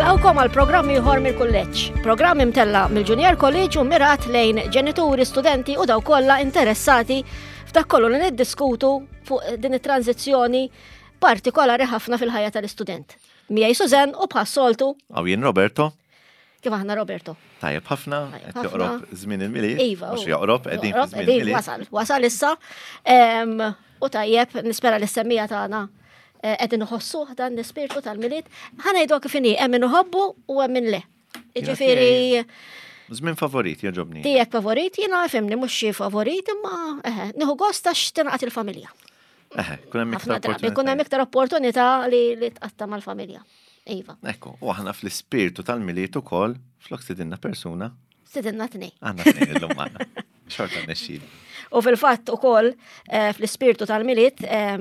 Nilqawkom għal programm ieħor mill-kulleġġ. Programm imtella mill-Junior College u mirat lejn ġenituri, studenti u daw kollha interessati f'dak kollu li niddiskutu fuq din it-tranzizzjoni partikolari ħafna fil-ħajja tal-istudent. Miegħi Suzen u bħas-soltu. Aw jien Roberto. Kif aħna Roberto? Tajjeb ħafna, qed joqrob żmien il-Milied. Iva. Mhux joqrob, qegħdin fi żmien il-Milied. Wasal, wasal issa. U tajjeb, nispera li s-semmija tagħna eh, qegħdin iħossuh dan l-ispirtu tal-Milied. Ħa ngħidu kif inhi, hemm min iħobbu u hemm min le. Jiġifieri. Żmien favorit jogħġobni. Tiegħek favorit, jiena fimni mhux xi favorit, imma eħe, nieħu gost għax tingħaqad il-familja. Eħe, kun hemm iktar opportunità. Kun hemm iktar opportunità li tqatta' mal-familja. Iva. Ekku, u aħna fl-ispirtu tal-Milied ukoll flok stidinna persuna. Stidinna tnej. Aħna tnej illum magħna. Xorta nexxil. U fil-fatt ukoll eh, fl-ispirtu tal-Milied eh,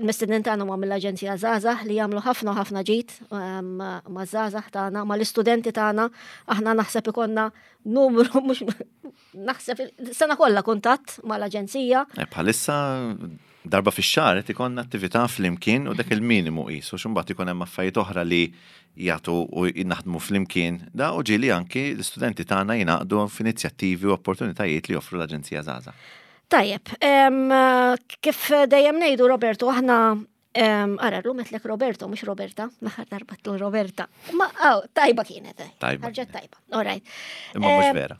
mistednin tagħna huma mill-Aġenzija Żgħażagħ li jagħmlu ħafna ħafna ġid ma' żgħażagħ tagħna, mal-istudenti tagħna, aħna naħseb ikollna numru mhux naħseb sena kollha kuntatt mal-aġenzija. Eh, bħalissa darba fix-xahar qed ikollna attività flimkien u dak il-minimu qisu x'imbagħad ikun hemm affarijiet oħra li jagħtu u naħdmu flimkien da u ġieli anki l-istudenti tagħna jingħaqdu f'inizjattivi u opportunitajiet li joffru l-Aġenzija Żgħażagħ. Tajjeb, kif dejjem ngħidu Roberto aħna Ara, l-lum għetlek Roberto, mux Roberta, l-aħħar darba tlu Roberta. Ma, oh, tajba kienet. Eh. Tajba. Ħarġet tajba, all right. Imma mux vera.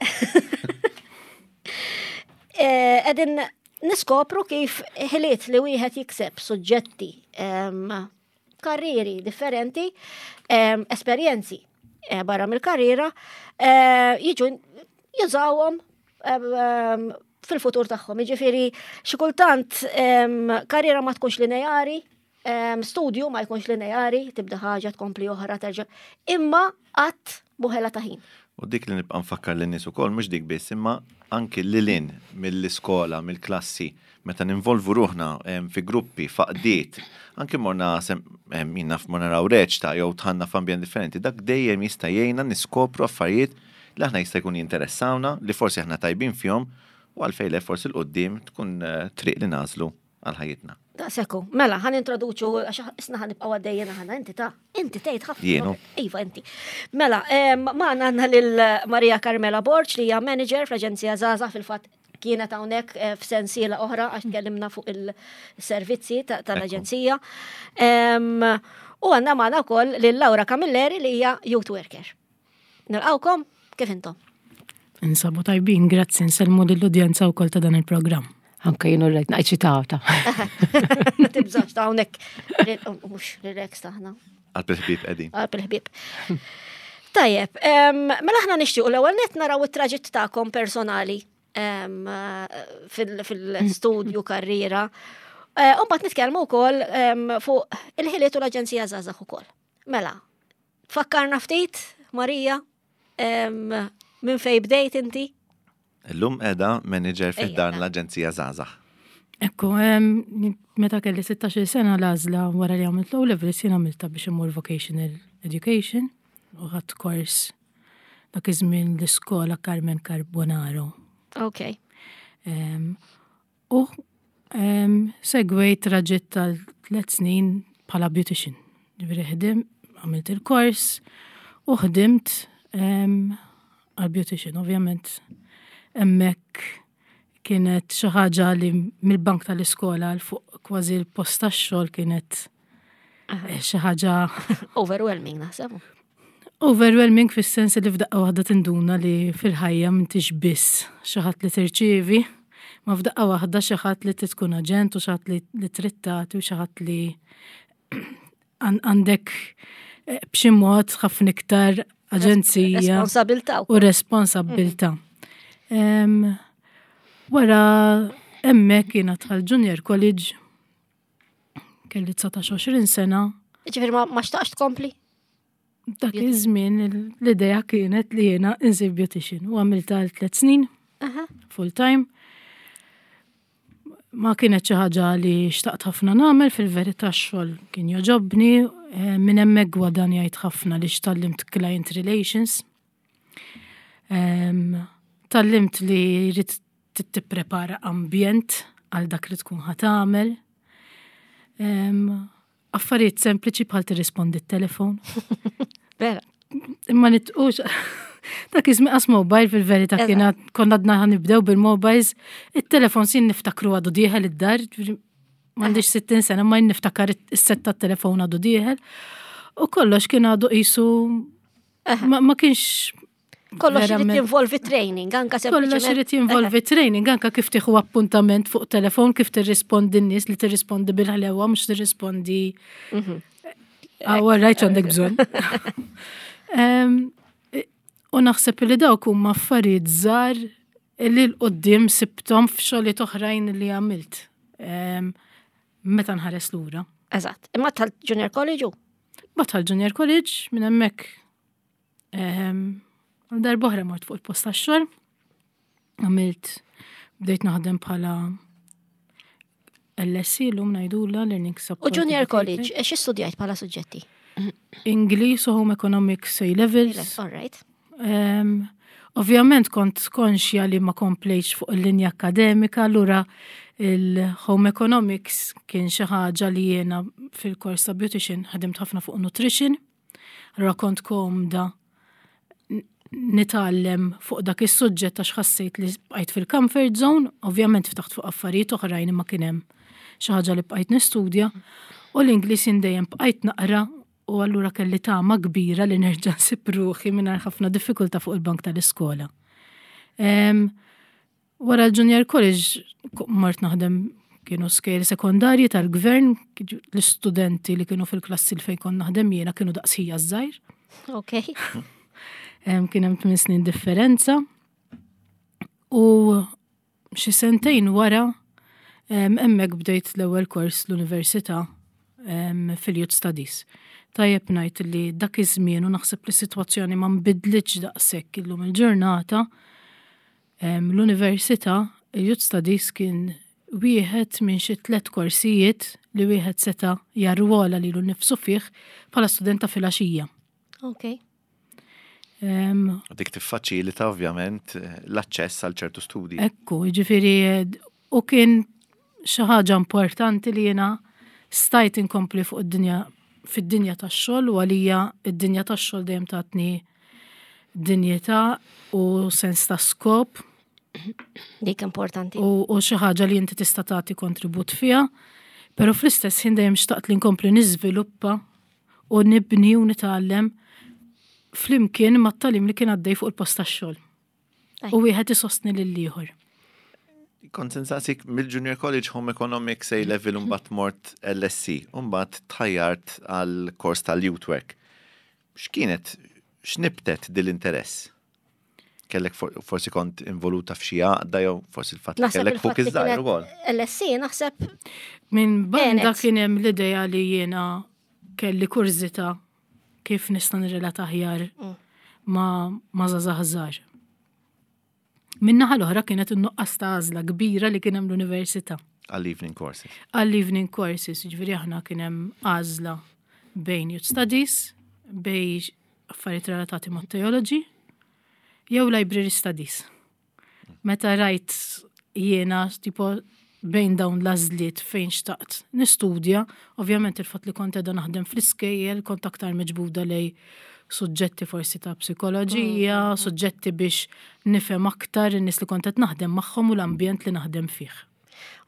Eh, edin niskopru kif ħiliet li wieħed jikseb suġġetti, karrieri differenti, esperjenzi eh, barra mill-karriera, jiġu jużawhom fil-futur tagħhom. Jiġifieri xi kultant karriera ma tkunx lineari, studju ma jkunx lineari, tibda ħaġa tkompli oħra terġa'. Imma qatt buħela ta' ħin. U dik li nibqa' nfakkar lin-nies ukoll mhux dik biss, imma anki lil hinn mill-iskola, mill-klassi, meta ninvolvu ruħna fi gruppi, f'għaqdiet, anki morna jien naf morna naraw reċta jew dħalna f'ambjent differenti, dak dejjem jista' jgħinna niskopru affarijiet li aħna jista' jkun jinteressawna, li forsi aħna tajbin fihom u għalfejn le forsi 'l quddiem tkun triq li nagħżlu għal ħajjitna. Daqshekk hu. Mela, ħa nintroduċu għax isna ħa nibqgħu għaddejjin aħna inti ta' inti tgħid ħafna. Jienu. Iva inti. Mela, magħna għandna lil Maria Carmela Borg li hija manager fl-Aġenzija Żgħażagħ fil-fatt kienet hawnhekk eh, f'sensiela oħra għax tkellimna fuq il-servizzi tal-aġenzija. U għandna magħna wkoll lil Laura Camilleri li hija youth worker. Nilqawkom, kif intom? Insabu tajbin, grazzi, nsellmu lill-udjenza wkoll ta' dan il-programm. Anka jien rajt naqċitata. Tibżax ta' hawnhekk mhux relax taħna. Qalb il-ħbieb qegħdin. Qalb il-ħbieb. Tajjeb, mela aħna nixtiequ l-ewwel nett naraw it-traġitt tagħkom personali fil-studju karriera. Eh, u mbagħad nitkellmu wkoll fuq il-ħiliet u l-Aġenzija Żgħażagħ ukoll. Mela, Fakkarna ftit, Marija, minn fej bdejt inti? Illum edha manager fi dan l-Aġenzija Zazax. Ekku, meta kelli 16 sena l-għażla wara li għamilt l-O levels jien għamilta biex immur vocational education u ħadd kors dak iż-żmien l-iskola Carmen Carbonaro. Ok. U segwejt traġitt tal-tlet snin bħala beautician. Ġifieri ħdim, għamilt il-kors u ħdimt għal beautician, ovvjament. Hemmhekk kienet xi ħaġa li mill-bank tal-iskola għal fuq kważi l-post tax-xogħol kienet eh, xi ħaġa overwhelming naħseb. Overwhelming fis-sens li f'daqqa waħda tinduna li fil-ħajja m'intix biss xi ħadd li tirċievi, ma f'daqqa waħda xi ħadd li tkun aġent u xi ħadd li trid tagħti u xi ħadd li għandek eh, b'xi mod ħafna iktar aġenzija. Responsabilta. U responsabilta. Mm. Wara hemmhekk jiena dħal Junior College Kelli 19-20 sena. Ġifieri ma xtaqx tkompli? Dak iż-żmien l-idea kienet li jiena insir beautician u għamilta għal tliet snin full time. Ma kienet xi ħaġa li xtaqt ħafna nagħmel fil-verità x-xogħol kien joġobni, eh, minn hemmhekk gwadanjajt ħafna li xtallimt client relations. Tallimt li jrid tipprepara ambjent għal dak li tkun ħa tagħmel. Affarijiet sempliċi bħal tirrispondi t-telefon. Vera. Imma nitqux. Dak iż qas mobile fil-verità kien konna għadna nibdew bil-mobiles, it-telefon sin niftakru għadu dieħel id-dar, m'għandix 60 sena ma niftakar is-set tat-telefon għadu dieħel. U kollox kien għadu qisu ma kienx Kollox irid jinvolvi training, anka Kollox irid jinvolvi training, anka kif tieħu appuntament fuq telefon, kif tirrispondi n-nies li tirrispondi bil-ħlewa, mhux tirrispondi. Ah, rajt għandek bżonn. U naħseb li dawk huma affarijiet żgħar li l-qoddim sibtom f'xogħliet oħrajn li għamilt. Meta nħares lura. Eżatt. Imma tal-Junior College u? Ma tal-Junior College minn hemmhekk Darbohra mort fuq il-post tax-xogħol. Għamilt bdejt naħdem bħala LSC l-lum ngħidula Learning Support. U Junior College, xi studjajt bħala suġġetti? English u Home Economics A Levels. All right. Ovvjament kont konxja li ma komplejx fuq il-linja akademika, allura il-Home Economics kien xi ħaġa li jiena fil-kors ta' beautician ħadimt ħafna fuq nutrition. Allura kont komda nitgħallem fuq dak is-suġġett għax ħassejt li bqajt fil-comfort zone, ovvjament ftaħt fuq affarijiet oħrajn imma kien hemm xi ħaġa li bqajt nistudja u l-Ingliż jien dejjem bqajt naqra u allura kelli tama kbira li nerġa' nsib ruħi mingħajr ħafna diffikultà fuq il-bank tal-iskola. Wara l-Junior College mort naħdem kienu skejjel sekondarji tal-gvern, l-istudenti li kienu fil-klassi li fejn kont naħdem jiena kienu daqsħija żgħir. Ok. Kien hemm 8 snin differenza. U xi sentejn wara hemmhekk bdejt l-ewwel kors l-università fil-Youth Studies. Tajjeb ngħid li dak iż-żmien u naħseb li s-sitwazzjoni ma nbidlitx daqshekk illum il-ġurnata, L-Università, il-Youth Studies kien wieħed minn xi tlett korsijiet li wieħed seta' jarwola lilu nnifsu fih bħala student ta' filgħaxija. Ok. Dik tiffaċilita ovvjament l-aċċess għal ċertu studji. Ekku, jiġifieri u kien xi ħaġa importanti li jiena stajt inkompli fuq id-dinja fid-dinja tax-xogħol u għalija id-dinja tax-xogħol dejjem tatni dinjità u sens ta' skop. Dik importanti. U xi ħaġa li inti tista' tagħti kontribut fiha, però fl-istess ħin dejjem xtaqt li nkompli niżviluppa u nibni u nitgħallem flimkien mat-tagħlim li kien għaddej fuq il-post tax-xogħol. U wieħed isostni lill-ieħor. Kont insaqsik mill-Junior College Home Economics A Level mbagħad mort LSE, u mbagħad tħajjart għal kors tal-Youth Work. X'kienet, x'nibtet dil-interess? Kellek forsi kont involuta f'xi għaqda jew forsi l-fatt li kellek fuq iż-żgħir ukoll. LSE naħseb. Minn banda kien hemm l-idea li jiena kelli kurżità kif nista' nirrelata aħjar mm. ma' ma' żgħażagħ żgħar. Min-naħa l-oħra kienet in-nuqqas ta' għażla kbira li kien hemm l-università. Għall-evening courses. Għall-evening courses, ġifieri aħna kien hemm għażla bejn youth studies, bejn affarijiet relatati ma' theology, jew library studies. Meta rajt jiena tipo bejn dawn l-għażliet fejn xtaqt nistudja, ovvjament il-fatt li kont qiegħda naħdem fl-iskejjel kont aktar miġbuda lej suġġetti forsi ta' psikoloġija, mm. suġġetti biex nifhem aktar in-nies li kont qed naħdem magħhom u l-ambjent li naħdem fih.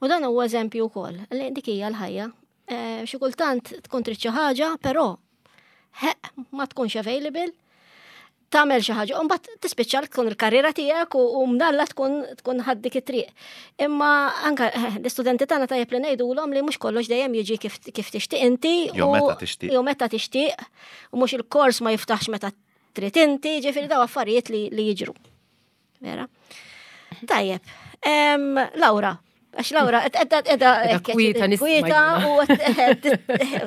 U dan huwa eżempju wkoll li dik hija l-ħajja. Eh, xi kultant tkun trid xi ħaġa, però ma tkunx available, tagħmel xi ħaġa, u mbagħad tispiċċa tkun il-karriera tiegħek u mdalla tkun tkun ħaddik it-triq. Imma anka eh, l-istudenti tagħna tajjeb li ngħidulhom li mhux kollox dejjem jiġi kif kif tixtieq inti. Jew meta tixtieq. Jew meta tixtieq, u mhux il-kors ma jiftaħx meta trid inti, ġifieri daw affarijiet li, li jiġru. Vera. Tajjeb. Laura, għax Laura, edha edha kwieta kwieta u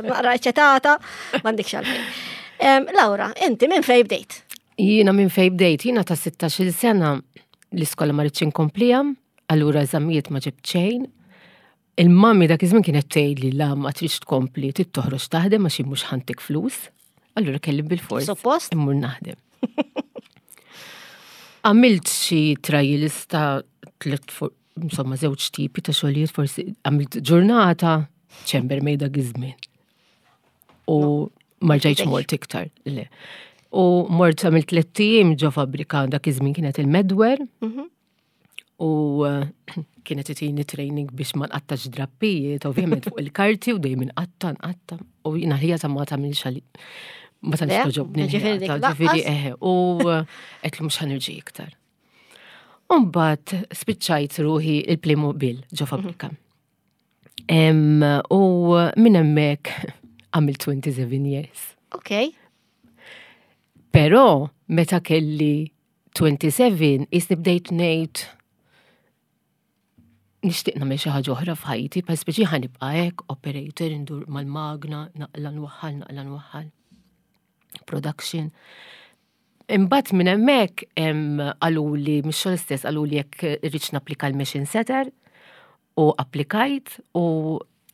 naqra eċetata, m'għandikx għalfejn. Laura, inti minn fej bdejt? Jiena minn fej bdejt, jiena ta' 16 sena l-iskola ma rridx inkomplija, allura eżamijiet ma ġibt xejn. Il-mami dak iż-żmien kienet tgħidli la ma tridx tkompli, trid toħroġ taħdem għax mhux ħantik flus. Allura kelli bil-fors. Suppost? Immur naħdem. Għamilt xi trials ta' tliet insomma żewġ tipi ta' xogħlijiet forsi għamilt ġurnata chambermaid dak iż-żmien. U ma rġajtx mort iktar. Le. U mort għamilt tlett ijiem ġo fabbrika dak iż-żmien kienet il-Medwer. U kienet itini training biex ma nqattax drappijiet, ovvjament fuq il-karti u dejjem inqatta, nqatta. U jiena ħija ta' ma tagħmilx għali. Ma tantx toġobni. Ġifieri eħe, u qed li mhux ħanirġi iktar. Umbagħad spiċċajt ruħi il-Playmobil ġo fabbrika. U minn hemmhekk għamilt 27 years. Ok. Però meta kelli 27 jisni bdejt ngħid nixtieq nagħmel xi ħaġa oħra f'ħajti, pa speċi ħa nibqa' hekk operator indur mal-magna, naqla nwaħħal, naqla nwaħħal. Production. Imbagħad minn hemmhekk qaluli mix-xogħol stess qaluli jekk irridx napplika l-machine setter u applikajt u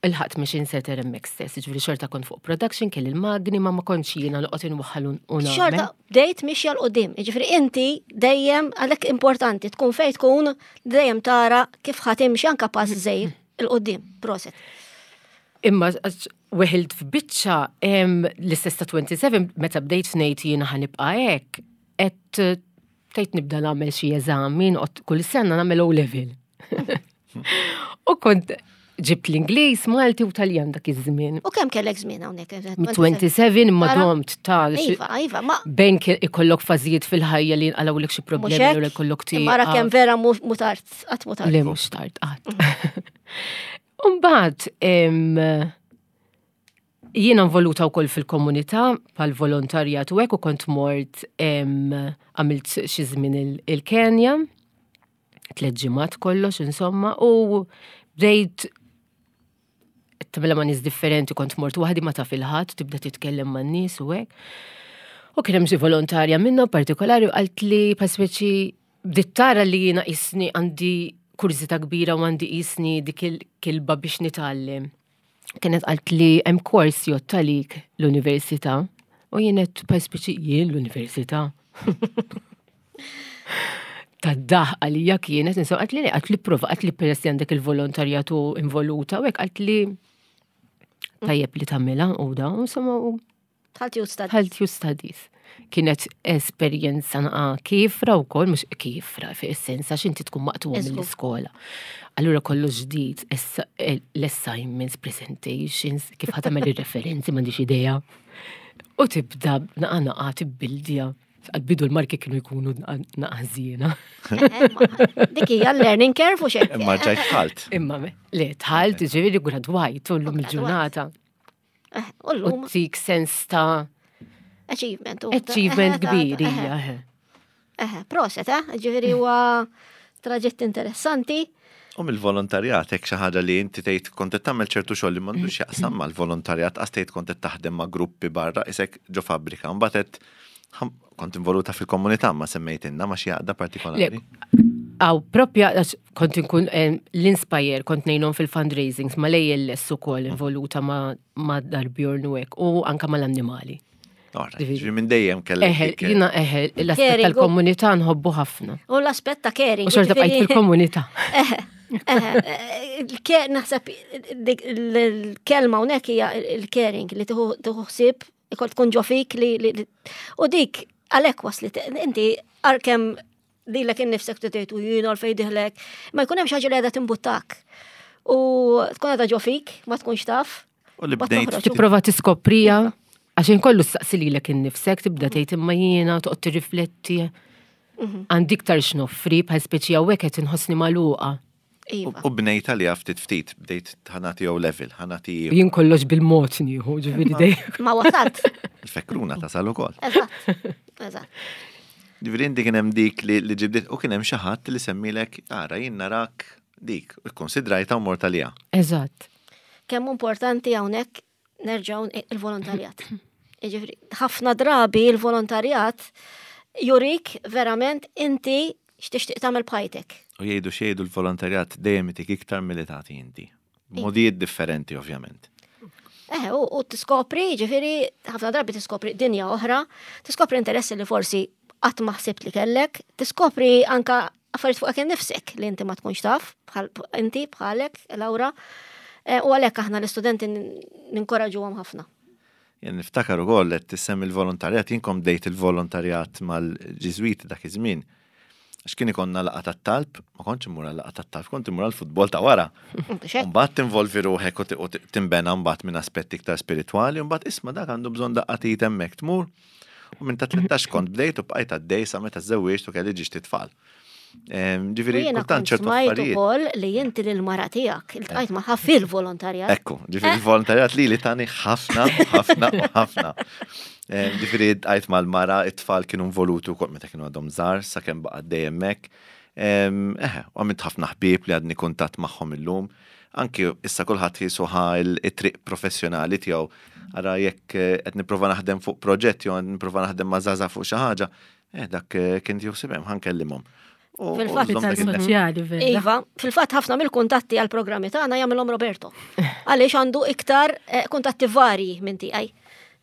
il-ħadd machine setter hemmhekk stess, ġifieri xorta kont fuq production kelli l-magni ma ma kontx jiena noqgħod inwaħħal u nagħmel. Xorta bdejt mixja 'l quddiem, jiġifieri inti dejjem għalhekk importanti tkun fejn tkun dejjem tara kif ħa timxi anke pass żgħir 'il quddiem. Proset. Imma weħilt f'biċċa l-istess ta' 27 meta bdejt ngħid jiena ħa nibqa' hekk, qed tgħid nibda nagħmel xi eżami, noqgħod kull sena nagħmel O level. U kont ġibt l-Ingliż, Malti u Taljan dak iż-żmien. U kemm kellek żmien hawnhekk? 27 imma domt ta' Iva, iva, ma. Bejn ikollok fażijiet fil-ħajja li jinqalgħulek xi problemi u jkollok ti. Mara kemm vera mutart, qatt mutart. Le mhux tard qatt. Umbagħad jiena involuta wkoll fil-komunità pal volontarjat u hekk u kont mort għamilt xi żmien il-Kenja, tliet ġimgħat kollox insomma, u bdejt tagħmilha ma' nies differenti, kont mort waħdi ma taf il-ħadd, tibda titkellem ma' nies u hekk. U kien hemm xi volontarja minnha partikolari u qalt li paspeċi bdiet tara li jiena qisni għandi kurżità kbira u għandi qisni dik il-kilba biex nitgħallem. Kienet qalt li hemm kors jgħodd għalik l-università u jien qed paspeċi jien l-università. Tad-daħ għalija kienet, insomma, qalt li qalt li prova, qalt li peress li għandek il-volontarjat u involuta u hekk qalt li tajjeb li tagħmilha u da, insomma, u Dħalt Youth Studies. Dħalt Youth Studies. Kienet esperjenza naqa kifra u kol, mux kifra fi essenza, għax inti tkun maqtuwa mill-iskola. Allura kollu ġdid, eh, l-assignments, presentations, kif ħatamel il-referenzi, m'għandix idea. U tibda naqa naqa tibbildja. Għal-bidu l-marki kienu jkunu naqa żiena. Eh, eh, dik hija learning curve u xejn. Imma ġajt tħalt. Imma le tħalt, ġifieri gradwajt u l-lum il-ġurnata. Eh, u l-lum. U tik sens ta' Achievement. Achievement kbir, hija. Eh, proset, eh, ġifieri huwa traġitt interessanti. U mill-volontarjat, hekk xi ħaġa li inti tgħid kont qed tagħmel ċertu xogħol li m'għandux x'jaqsam mal-volontarjat, qas tgħid kont qed taħdem ma' gruppi barra isek ġo fabbrika. Mbagħad qed Kont involuta fil-komunità ma semmejtinna ma xi għaqda partikolari. Għaw, propja, kont inkun eh, l-Inspire, kont nejnom fil-fundraisings, ma l-ALS u kol involuta ma darbjorn u hekk, u anka ma l-annimali. Ġifieri minn dejjem kellek. Eħe, jina eħe, l-aspett tal-komunità nħobbu ħafna. U l-aspett ta' caring. U xorta bqajt fil-komunità. Eħe, eħe, naħseb il-kelma hawnhekk hija il-caring li tieħu ħsieb Ikol tkun ġo fik li u dik għalhekk waslit inti għalkemm lilek innifsek tgħid u jien għalfejn diħlek, ma jkun hemm xi ħaġa li qiegħda timbuttak. U tkun qiegħda ġo fik, ma tkunx taf. U li bdejt tipprova tiskoprija għax inkollu staqsi lilek innifsek tibda tgħid imma jiena toqgħod tirrifletti. Mhm. Għandi iktar x'noffri bħal speċi hawnhekk qed inħossni magħluqa. Iva. U bnejt għalija ftit ftit, bdejt ħanati O level, ħanati. Jien kollox bil-mod nieħu, ġifieri dejjem. Ma wasalt. Il-fekruna tasal ukoll. Eżatt. Eżatt. Ġifieri inti kien hemm dik li ġibdiet u kien hemm xi ħadd li semmilek ara jien narak dik, ikkonsidrajta u mort għaliha. Eżatt. Kemm importanti hawnhekk nerġgħu il-volontarjat. Jiġifieri ħafna drabi il-volontarjat jurik verament inti x'tixtieq tagħmel b'ħajtek. U jgħidu x'jgħidu l-volontarjat dejjem itik iktar milli tagħti inti. Modijiet differenti ovvjament. Eh, u tiskopri, ġifieri, ħafna drabi tiskopri dinja oħra, tiskopri interessi li forsi qatt ma ħsibt li kellek, tiskopri anka affarijiet fuqek innifsek li inti ma tkunx taf, bħal inti bħalek, Laura, eh, u għalhekk aħna l-istudenti ninkoraġuhom ħafna. Jien niftakar ukoll qed tissemmi l-volontarjat, jien kont bdejt il-volontarjat mal-Ġiżwiti dak iż-żmien. Għax kien ikollna laqgħa tat-talb, ma kontx immur għal laqgħa tat-talb, kont immur għall-futbol ta' wara. Mbagħad tinvolvi ruħek u tinbena mbagħad minn aspetti iktar spiritwali, u mbagħad isma' dak għandu bżonn daqqa t'id hemmhekk tmur. U minn ta' 13 kont bdejt u bqajt għaddej sa meta żewwiġt u kelli ġiex titfal. Ġifieri kultant ċertu affarijiet. ukoll li inti lil mara tiegħek iltqajt magħha fil-volontarjat. Ekku, ġifieri il-volontarjat li li tani ħafna, ħafna u ħafna. Ġifieri ltqajt mal-mara, it-tfal kienu involuti wkoll meta kienu għadhom żgħar sakemm baqa' għaddej hemmhekk. Eħe, u għamilt ħafna ħbieb li għadni kuntatt magħhom illum. Anki issa kulħadd qisu ħa it-triq professjonali tiegħu. Ara jekk qed nipprova naħdem fuq proġett jew nipprova naħdem ma' żgħażagħ fuq xi ħaġa, Eh, dak eh, kien tieħu hemm ħa nkellimhom. Fil-fatt soċjali vera. Iva, fil-fatt ħafna mill-kuntatti għal programmi tagħna jagħmilhom Roberto. Għaliex għandu iktar eh, kuntatti varji minn tiegħi.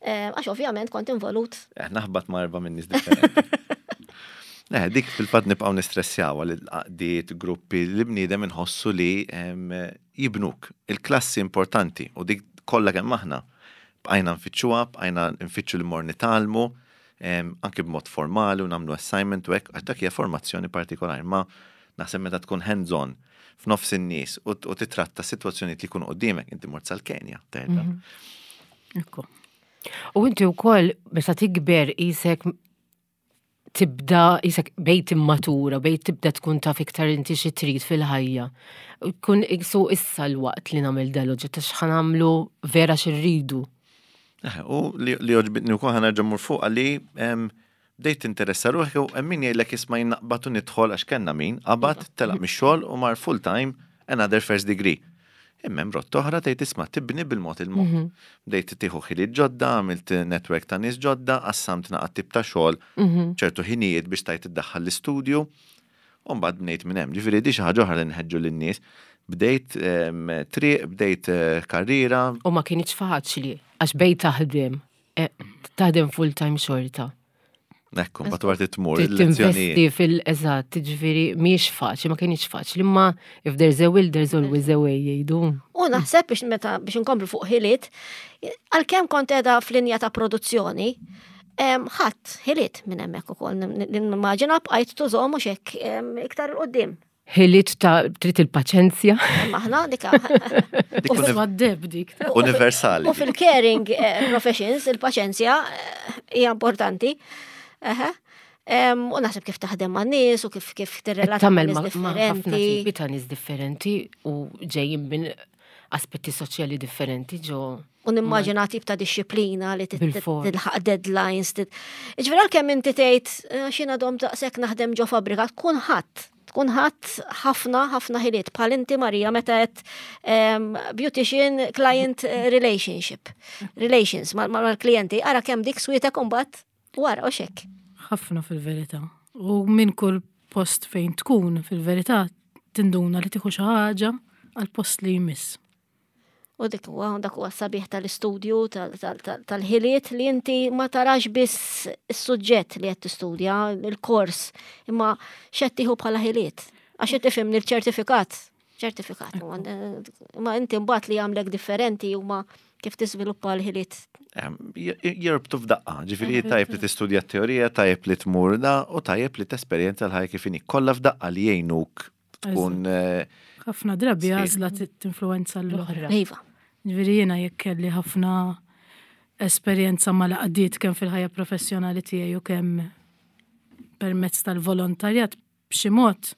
Għax ovvjament kont involut. Naħbat ma' erba' minn nies differenti. Eh, dik fil-fatt nibqgħu nistressjaw għal għaqdiet, gruppi li bniedem inħossu li jibnuk. Il-klassi importanti u dik kollha kemm aħna bqajna nfittxuha, bqajna nfittxu li mor nitgħallmu, anki b'mod formali u nagħmlu assignment u hekk, għax dak hija formazzjoni partikolari, ma naħseb meta tkun hands-on f'nofs in-nies u titratta sitwazzjonijiet li jkunu quddiemek, inti mort sal-Kenja, terda. Mhm. Ekku. U inti wkoll meta tikber isek tibda isek bejt immatura, bejt tibda tkun taf iktar inti xi trid fil-ħajja. Kun isu issa l-waqt li nagħmel dal-oġġett għax ħanamlu vera xirridu. Eh, u li għoġbitni wkoll ħa nerġa' mmur fuqha li bdejt tinteressa ruħek u hemm min jgħidlek isma' jien naqbad u nidħol għax kellna min qabad telaq mix-xogħol u mar full time another first degree. Imma hemm rotta oħra tgħid isma' tibni bil-mod il-mod. Mhm. Bdejt tieħu ħiliet ġodda, għamilt network ta' nies ġodda, qassamt naqa' tip ta' xogħol, mhm. ċertu ħinijiet biex tajt iddaħħal l-istudju. U mbagħad bnejt minn hemm. Ġifieri di xi ħaġa oħra li nħeġġu lin-nies. Bdejt ehm, triq, bdejt eh, karriera. U ma kienx faċli, għax bejt taħdem, eh, taħdem full time xorta. Ekku, mbagħad wara tmur il-lezzjonijiet. fil-eżatt, ġifieri mhijiex faċli, ma kienx faċli, imma if there's a will, there's always a way jgħidu. U naħseb biex meta biex inkomplu fuq ħiliet, għalkemm kont qiegħda f'linja ta' produzzjoni, ħadd ħiliet minn hemmhekk ukoll nimmaġina bqajt tużhom mhux hekk iktar 'il quddiem. Ħiliet ta' trid il-paċenzja. Aħna dik dik. Universali. U fil-caring eh, professions il-paċenzja eh, hija importanti. U naħseb kif taħdem ma' nies u kif kif tirrelata ma' nies differenti. Tipi ta' nies differenti u ġejjin minn aspetti soċjali differenti ġo. U nimmaġina tip ta' disċiplina li tilħaq deadlines. Ġifieri għalkemm inti tgħid eh, x'jiena dom daqshekk naħdem ġo fabbrika, tkun ħadd tkun ħadd ħafna ħafna ħiliet bħal inti Marija meta qed ehm, beautician client eh, relationship relations mal-klijenti ara kemm dik swietek imbagħad wara u xek. Ħafna fil-verità. U minn kull post fejn tkun fil-verità tinduna li tieħu xi ħaġa għal post li jmiss. U dik huwa dak huwa sabiħ tal-istudju tal-ħiliet li inti ma tarax biss is-suġġett li qed tistudja, il-kors, imma x'qed tieħu bħala ħiliet. Għax qed tifhimni l-ċertifikat, ċertifikat. Ma inti mbagħad li jagħmlek differenti huma kif tiżviluppa l-ħiliet. Jirbtu f'daqqa, ġifieri tajjeb li tistudja t-teorija, tajjeb li tmur da, u tajjeb li tesperjenza l-ħajja kif inhi. Kollha f'daqqa li jgħinuk tkun. Eh, ħafna drabi għażla tinfluwenza l-oħra. Iva. Ġifieri jiena jekk kelli ħafna esperjenza mal-għaqdiet kemm fil-ħajja professjonali tiegħi u kemm permezz tal-volontarjat b'xi mod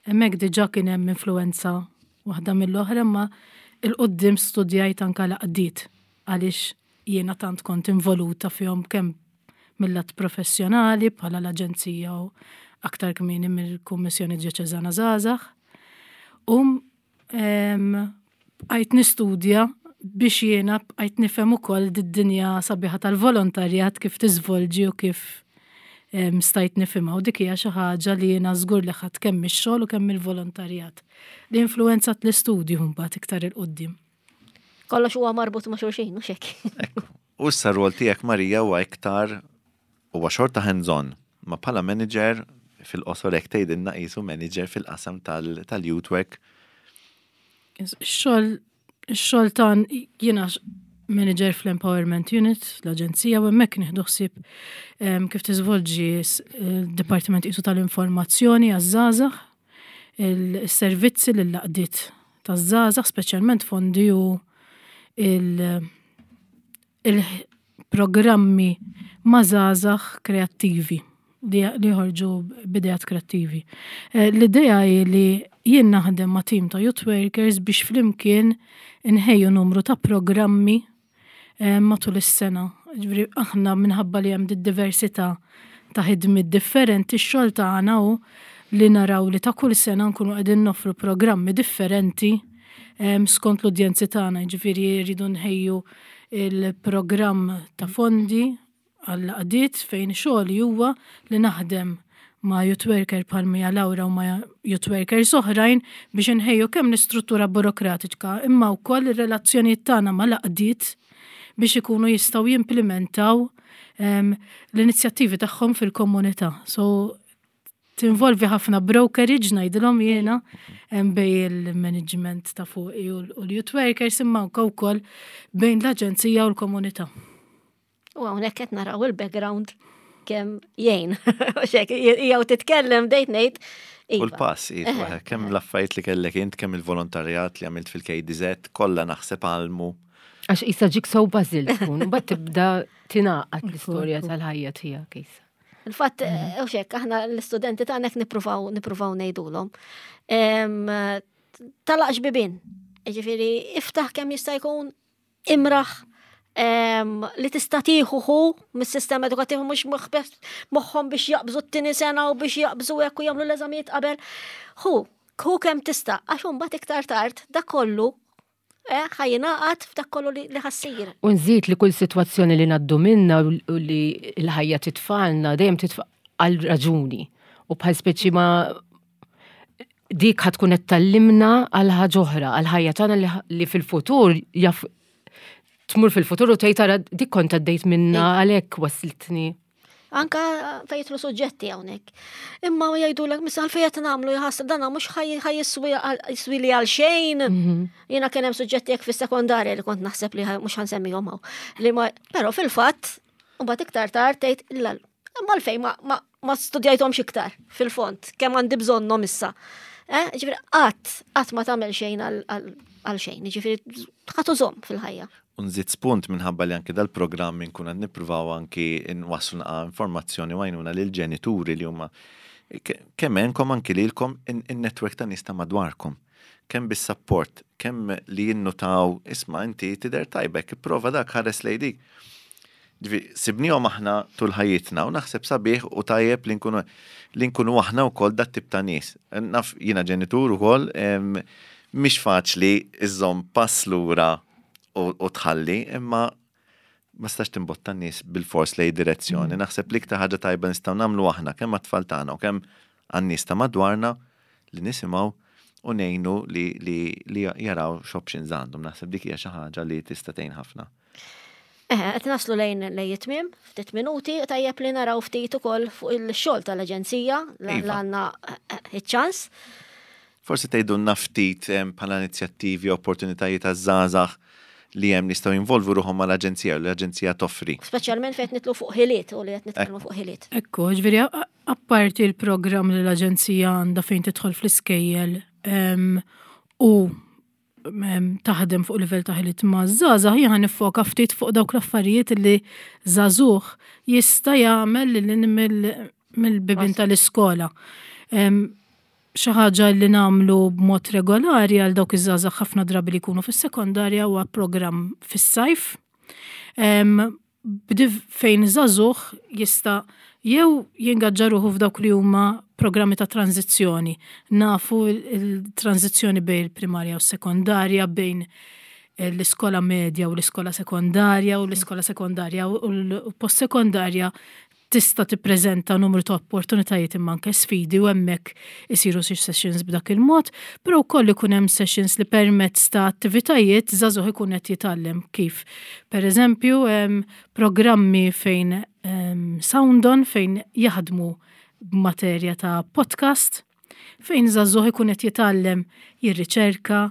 hemmhekk diġà kien hemm influwenza waħda mill-oħra imma 'il quddiem studjajt anke l-għaqdiet għaliex jiena tant kont involuta fihom kemm mil-lat professjonali bħala l-aġenzija u aktar kmieni mill-Kummissjoni Djoċeżana Żgħażagħ. U bqajt nistudja biex jiena bqajt nifhem ukoll did-dinja sabiħa tal-volontarjat kif tiżvolġi u kif stajt nifhimha u dik hija xi ħaġa li jiena żgur li ħadt kemm mix-xogħol u kemm mill-volontarjat li influwenzat l-istudju mbagħad iktar 'il quddiem. Kollox huwa marbut ma' xulxin, mhux hekk. U issa r-rwol tiegħek Marija huwa iktar huwa xorta hands-on, ma bħala manager fil-qosor hekk tgħidilna qisu manager fil-qasam tal-youth work. Ix-xogħol ix-xogħol ta' jiena manager fl-Empowerment Unit, l-aġenzija, u hemmhekk nieħdu ħsieb kif tiżvolġi d-Dipartiment qisu tal-Informazzjoni għaż-żgħażagħ, il-servizzi lill-għaqdiet taż-żgħażagħ, speċjalment fondi u il-programmi ma' żgħażagħ kreattivi li joħorġu b'ideat kreattivi. Eh, l-idea hi li jien naħdem ma' tim ta' youth workers biex flimkien inħejju numru ta' programmi eh, matul is-sena. Ġifieri aħna minħabba li hemm diversità ta' ħidmiet differenti, x-xogħol tagħna hu li naraw li ta' kull sena nkunu qegħdin noffru programmi differenti eh, skont l-udjenzi tagħna, ġifieri rridu nħejju il-programm ta' fondi għall-għaqdiet fejn xogħli huwa li naħdem ma' youth worker bħal Mia Laura u ma' youth workers oħrajn biex inħejju kemm l-istruttura burokratika imma wkoll ir-relazzjonijiet tagħna mal-għaqdiet biex ikunu jistgħu jimplimentaw ehm, l-inizjattivi tagħhom fil-komunità. So tinvolvi ħafna brokerage ngħidilhom jiena bej il-management ta' fuqi u l-youth workers imma anke wkoll bejn l-aġenzija u l-komunità. U hawnhekk qed naraw il-background kemm jgħin. Jew titkellem dejt ngħid. U iva. l-pass, iva, kemm l-affarijiet li kellek int, kemm il-volontarjat li għamilt fil-KDZ, kollha naħseb għalmu. Għax isa ġik sow bażil tkun, bat tibda tingħaqad l-istorja tal-ħajja tiegħek isa. Il-fatt, eh, u xek, aħna l-istudenti tagħna hekk nippruvaw nippruvaw ngħidulhom. Talaqx bibin. Ġifieri iftaħ kemm jista' jkun imraħ li tista' tieħu hu mis-sistema edukattiv mhux moħħhom biex jaqbżu t-tieni sena u biex jaqbżu hekk u jagħmlu l-eżamijiet qabel. Hu, hu kemm tista' għax imbagħad iktar tard dak kollu eh, ħajjingħaqad f'dak kollu li ħassir. U nżid li kull sitwazzjoni li ngħaddu minna u li l-ħajja titfalna dejjem titfa' għal raġuni. U bħal speċi ma dik ħa tkun qed tallimna għal ħaġa oħra, għal ħajja tagħna li fil-futur jaf tmur fil-futur u tgħid tara dik kont għaddejt minna għalhekk waslitni. Anka fejn jidħlu suġġetti hawnhekk. Imma jgħidulek missa għalfejn qed nagħmlu jħass dan mhux ħajjiswi li għal xejn. Mhm. Jiena kien hemm suġġetti hekk fis-sekondarja li kont naħseb li mhux ħansemmihom hawn. Li ma però fil-fatt mbagħad iktar tard tgħid imma għalfejn ma, ma ma studjajthomx iktar fil-fond, kemm għandi bżonnhom issa. Eh, ġifieri qatt qatt ma tagħmel xejn għal xejn, ġifieri ħadd użhom fil-ħajja. U nżid spunt minħabba li anki dal-programm inkun qed nippruvaw anki nwasslu naqa' informazzjoni u għajnuna lill-ġenituri li huma kemm għenkom anki lilkom in-netwerk ta' nies ta' madwarkom. Kemm bis-sapport, kemm li jinnutaw, isma' inti tidher tajba hekk, ipprova dak, ħares lejn dik. Ġifieri, sibnihom aħna tul ħajjitna u naħseb sabiħ u tajjeb li nkunu li nkunu aħna wkoll dat tip ta' nies. Naf jiena ġenitur ukoll, mhix faċli iżżomm pass lura u tħalli, imma ma stax timbotta n-nies bilfors lejn direzzjoni. Naħseb l-iktar ħaġa tajba nistgħu nagħmlu aħna kemm għat-tfal tagħna u kemm għan-nies ta' madwarna li nisimgħu u ngħinu li, li, li jaraw x'options għandhom. Naħseb dik hija xi ħaġa li tista' tgħin ħafna. Eħe, qed naslu lejn lejn it-tmiem, ftit minuti, tajjeb li naraw ftit ukoll fuq il-xogħol tal-Aġenzija li iva. għandna eh, iċ-ċans. Forsi tgħidulna ftit bħala inizjattivi, opportunitajiet għaż-żgħażagħ li hemm nistgħu jinvolvu ruħhom mal-aġenzija u l-aġenzija toffri. Speċjalment fejn nitlu fuq ħiliet u li qed nitkellmu fuq ħiliet. Ekku, ġifieri apparti l-programm li l-aġenzija għandha fejn tidħol fl-iskejjel u taħdem fuq livell ta' ħiliet ma' żgħażagħ, jien nifoka ftit fuq dawk l-affarijiet li żagħżugħ jista' jagħmel lil mill-bibien tal-iskola. Xi ħaġa li nagħmlu b'mod regolari għal dawk iż-żgħażagħ ħafna drabi li jkunu fis-sekondarja huwa programm fis-sajf fejn żagħżugħ jista' jew jingaġġa ruħu f'dawk li huma programmi ta' tranżizzjoni. Nafu il-tranżizzjoni bejn il-primarja u s-sekondarja, bejn l-iskola medja u l-iskola sekondarja u l-iskola sekondarja u l-post-sekondarja tista' tippreżenta numru ta' opportunitajiet imma anke sfidi u hemmhekk isiru xi sessions b'dak il-mod, però wkoll ikun hemm sessions li permezz ta' attivitajiet żagħżugħ ikun qed jitgħallem kif. Pereżempju, programmi fejn sound on fejn jaħdmu b'materja ta' podcast fejn żagħżugħ ikun qed jitgħallem jirriċerka,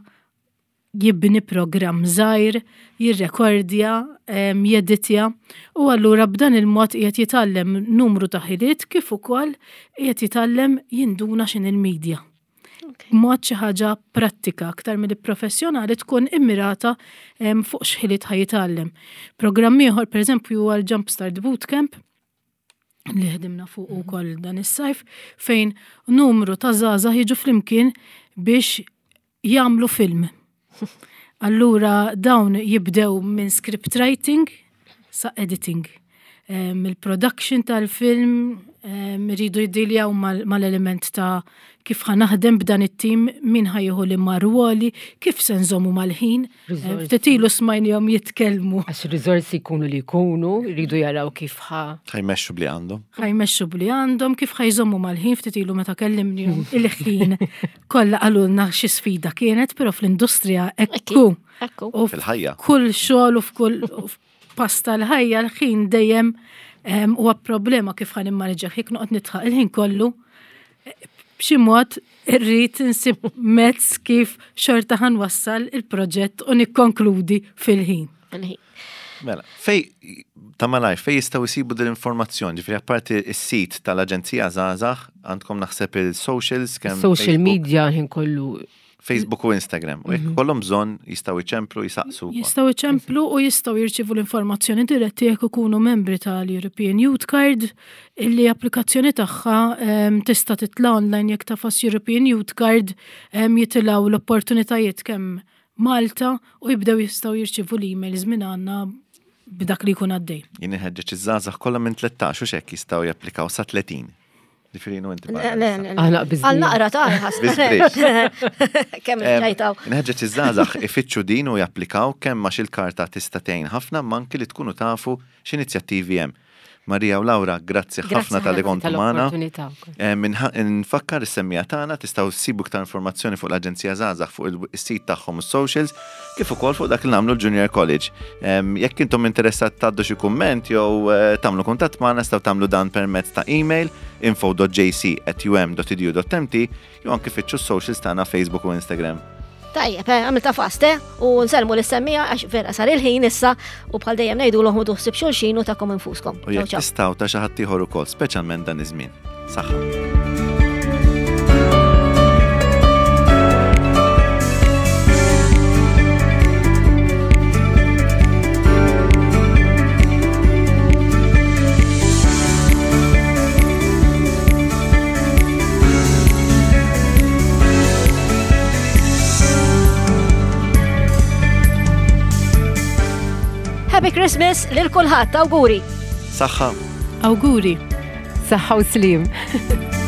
jibni programm żgħir, jirrekordja, jeditja u allura b'dan il-mod qiegħed jitgħallem numru ta' ħiliet kif ukoll qiegħed jitgħallem jinduna x'inhi l-media. B'mod xi ħaġa prattika aktar milli professjonali tkun immirata fuq x'ħiliet ħa jitgħallem. Programm ieħor pereżempju huwa l-Jumpstart Bootcamp li ħdimna fuq mhm. ukoll dan is-sajf fejn numru ta' żgħażagħ jiġu flimkien biex jagħmlu film. Allura dawn jibdew minn script writing sa editing. Il-production tal-film iridu jiddiljaw mal-element ta' kif ħa naħdem b'dan it-tim, min ħa jieħu liema rwoli, kif se nżommu mal-ħin. Ftit ilu smajnihom jitkellmu. Għax ir-riżorsi jkunu li jkunu, jridu jaraw kif ħa. Ħa jmexxu bli għandhom. Ħa jmexxu bli għandhom, kif ħa jżommu mal-ħin, ftit ilu meta kellimnihom il-ħin kollha qalulna xi sfida kienet, però fl-industrija ekku. Ekku. U Fil-ħajja. Kull xogħol u f'kull pass tal-ħajja l-ħin dejjem huwa problema kif ħa nimmaneġġjah jekk noqgħod nidħaq il-ħin kollu b'xi mod irrid insib mezz kif xorta ħa nwassal il-proġett u nikkonkludi fil-ħin. Fil-ħin. Mela, fej ta' malajr, fej jistgħu jsibu din l-informazzjoni, ġifieri apparti s-sit tal-Aġenzija Żgħażagħ, għandkom naħseb il-socials kemm Social media ħin kollu Facebook u Instagram. U jekk mhm. kollhom bżonn jistgħu jċemplu jisaqsu. Jistgħu jċemplu u jistgħu jirċievu l-informazzjoni diretti jekk ikunu membri tal-European Youth Card illi applikazzjoni tagħha ehm, tista' titla' online jekk tafas European Youth Card ehm, jitilgħu l-opportunitajiet kemm Malta u jibdew jistgħu jirċievu l-emails minn għandna b'dak li jkun għaddej. Jien inħeġġeġ iż-żgħażagħ kollha minn 13 u x'hekk jistgħu japplikaw sa 30. Ġifieri inhu inti barra. Le, le, le. Għal naqra ta' ħas. Kemm ġajtaw. Nħeġġeġ iż-żgħażagħ ifittxu din u japplikaw kemm għax il-karta tista' tgħin ħafna ma anki li tkunu tafu x'inizjattivi hemm. Maria u Laura, grazzi ħafna tal-li kontu magħna. Nfakkar is-semmija tagħna tistgħu ssibu iktar informazzjoni fuq l-Aġenzija Żgħażagħ fuq is-sit tagħhom u socials kif ukoll fuq dak li nagħmlu l-Junior College. Jekk intom interessat tgħaddu xi kumment jew eh, tagħmlu kuntatt magħna tistgħu tagħmlu dan permezz ta' email info.jc@um.edu.mt jew anki fittxu s-socials tagħna Facebook u Instagram. Tajjeb, eh, għamilta fast, eh? U nselmu l-semmija għax vera sar il-ħin issa u bħal dejjem ngħidu l-oħmu ħsib xulxin u takom infuskom. U jekk tistgħu ta' xi ħadd ieħor ukoll, speċjalment dan iż-żmien. Saħħa. Happy Christmas lil kulħadd, awguri. Saħħa. Awguri. Saħħa u slim.